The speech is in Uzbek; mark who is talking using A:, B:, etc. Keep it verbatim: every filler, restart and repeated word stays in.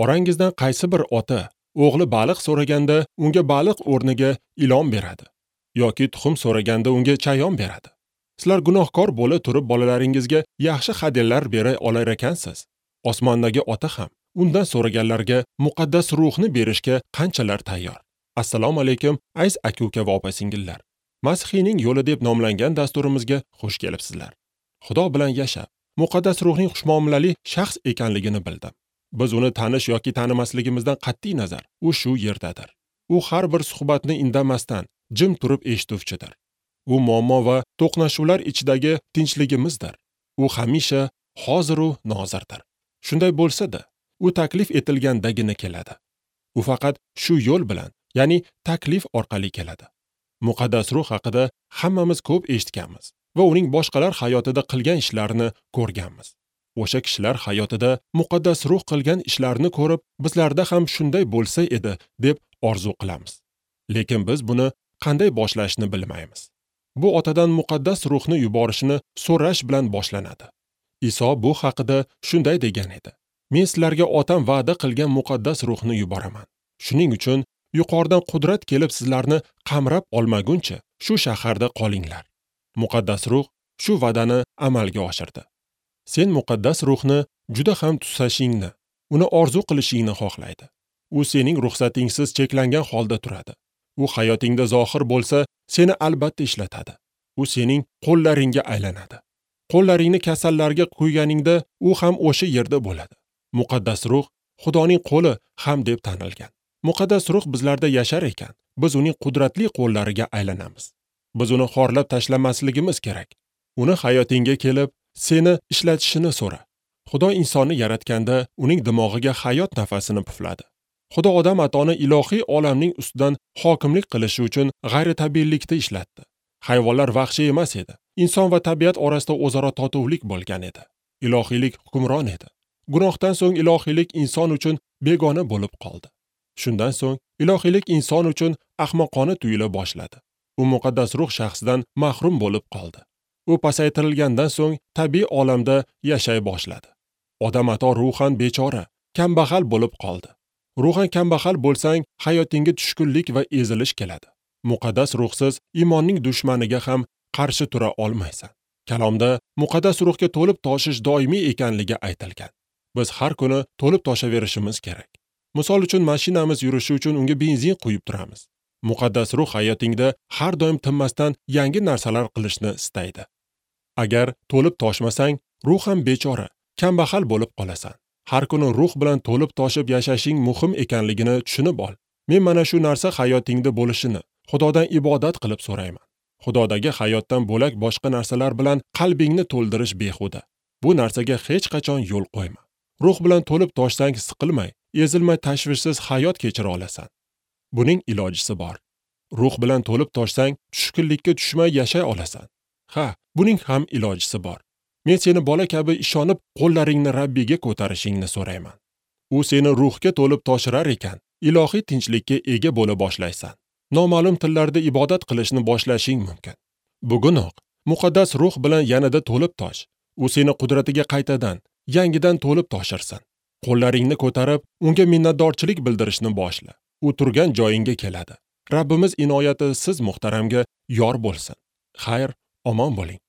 A: Orangizdan qaysi bir ota o'g'li baliq so'raganda unga baliq o'rniga ilon beradi yoki tuxum so'raganda unga chayon beradi? Sizlar gunohkor bo'la turib bolalaringizga yaxshi hadyalar bera olar ekansiz. Osmondagi ota ham undan so'raganlarga muqaddas ruhni berishga qanchalar tayyor. Assalomu alaykum aziz aka-uka va opa-singillar. Masihiyning yo'li deb nomlangan dasturimizga xush kelibsizlar. Xudo bilan yashab, muqaddas ruhning xushmuomalali shaxs ekanligini bildim. Biz uni tanish yoki tanimasligimizdan qat'iy nazar, u shu yerdadir. U har bir suhbatni indamasdan jim turib eshituvchidir. U muammo va to'qnashuvlar ichidagi tinchligimizdir. U hamisha hozir u nozirdir. Shunday bo'lsa-da, u taklif etilgandagina keladi. U faqat shu yo'l bilan, ya'ni taklif orqali keladi. Muqaddas ruh haqida hammamiz ko'p eshitganmiz va uning boshqalar hayotida qilgan ishlarini ko'rganmiz. O'sha kishilar hayotida muqaddas ruh qilgan ishlarni ko'rib, bizlarda ham shunday bo'lsa edi deb orzu qilamiz. Lekin biz buni qanday boshlashni bilmaymiz. Bu otadan muqaddas ruhni yuborishini so'rash bilan boshlanadi. Iso bu haqida shunday degan edi: Men sizlarga otam va'da qilgan muqaddas ruhni yuboraman. Shuning uchun yuqoridan qudrat kelib sizlarni qamrab olmaguncha shu shaharda qolinglar. Muqaddas ruh shu va'dani amalga oshirdi. Sen muqaddas ruhni juda ham tusashingni, uni orzu qilishingni xohlaydi. U sening ruxsatingsiz cheklangan holda turadi. U hayotingda zohir bo'lsa, seni albatta ishlatadi. U sening qo'llaringga aylanadi. Qo'llaringni kasallarga qo'yganingda u ham o'sha yerda bo'ladi. Muqaddas ruh Xudoning qo'li ham deb tanilgan. Muqaddas ruh bizlarda yashar ekan, biz uning qudratli qo'llariga aylanamiz. Biz uni xorlab tashlamasligimiz kerak. Uni hayotingga kelib, seni ishlatishini so'ra. Xudo insonni yaratganda uning dimog'iga hayot nafasini pufladi. Xudo odam atoni ilohiy olamning ustidan hokimlik qilishi uchun g'ayritabiiylikda ishlatdi. Hayvonlar vahshiy emas edi. Inson va tabiat orasida o'zaro totuvlik bo'lgan edi. Ilohiylik hukmron edi. Gunohdan so'ng ilohiylik inson uchun begona bo'lib qoldi. Shundan so'ng ilohiylik inson uchun ahmoqona tuyula boshladi. U muqaddas ruh shaxsidan mahrum bo'lib qoldi. U pasaytirilgandan so'ng tabiiy olamda yashay boshladi. Odam ato ruhan bechora, kambag'al bo'lib qoldi. Ruhan kambag'al bo'lsang, hayotingga tushkunlik va ezilish keladi. Muqaddas ruhsiz iymonning dushmaniga ham qarshi tura olmaysan. Kalomda muqaddas ruhga to'lib toshish doimiy ekanligi aytilgan. Biz har kuni to'lib toshaverishimiz kerak. Misol uchun mashinamiz yurishi uchun unga benzin quyib turamiz. Muqaddas ruh hayotingda har doim tinmasdan yangi narsalar qilishni istaydi. Agar to'lib toshmasang, ruhan bechora, kambag'al bo'lib qolasan. Har kuni ruh bilan to'lib toshib yashashing muhim ekanligini tushunib ol. Men mana shu narsa hayotingda bo'lishini Xudodan ibodat qilib so'rayman. Xudodagi hayotdan bo'lak boshqa narsalar bilan qalbingni to'ldirish behuda. Bu narsaga hech qachon yo'l qo'yma. Ruh bilan to'lib toshsang siqilmay, ezilmay tashvishsiz hayot kechira olasan. Buning ilojisi bor. Ruh bilan to'lib toshsang tushkunlikka tushmay yashay olasan. Ha, buning ham ilojisi bor. Men seni bola kabi ishonib qo'llaringni Rabbiyga ko'tarishingni so'rayman. U seni ruhga to'lib toshirar ekan, ilohiy tinchlikka ega bo'la boshlaysan. Noma'lum tillarda ibodat qilishni boshlashing mumkin. Bugunoq muqaddas ruh bilan yanada to'lib tosh. U seni qudratiga qaytadan, yangidan to'lib toshirsin. Qo'llaringni ko'tarib, unga minnatdorchilik bildirishni boshla. U turgan joyingga keladi. Rabbimiz inoyati siz muhtaramga yor bo'lsin. Xayr, omon bo'ling.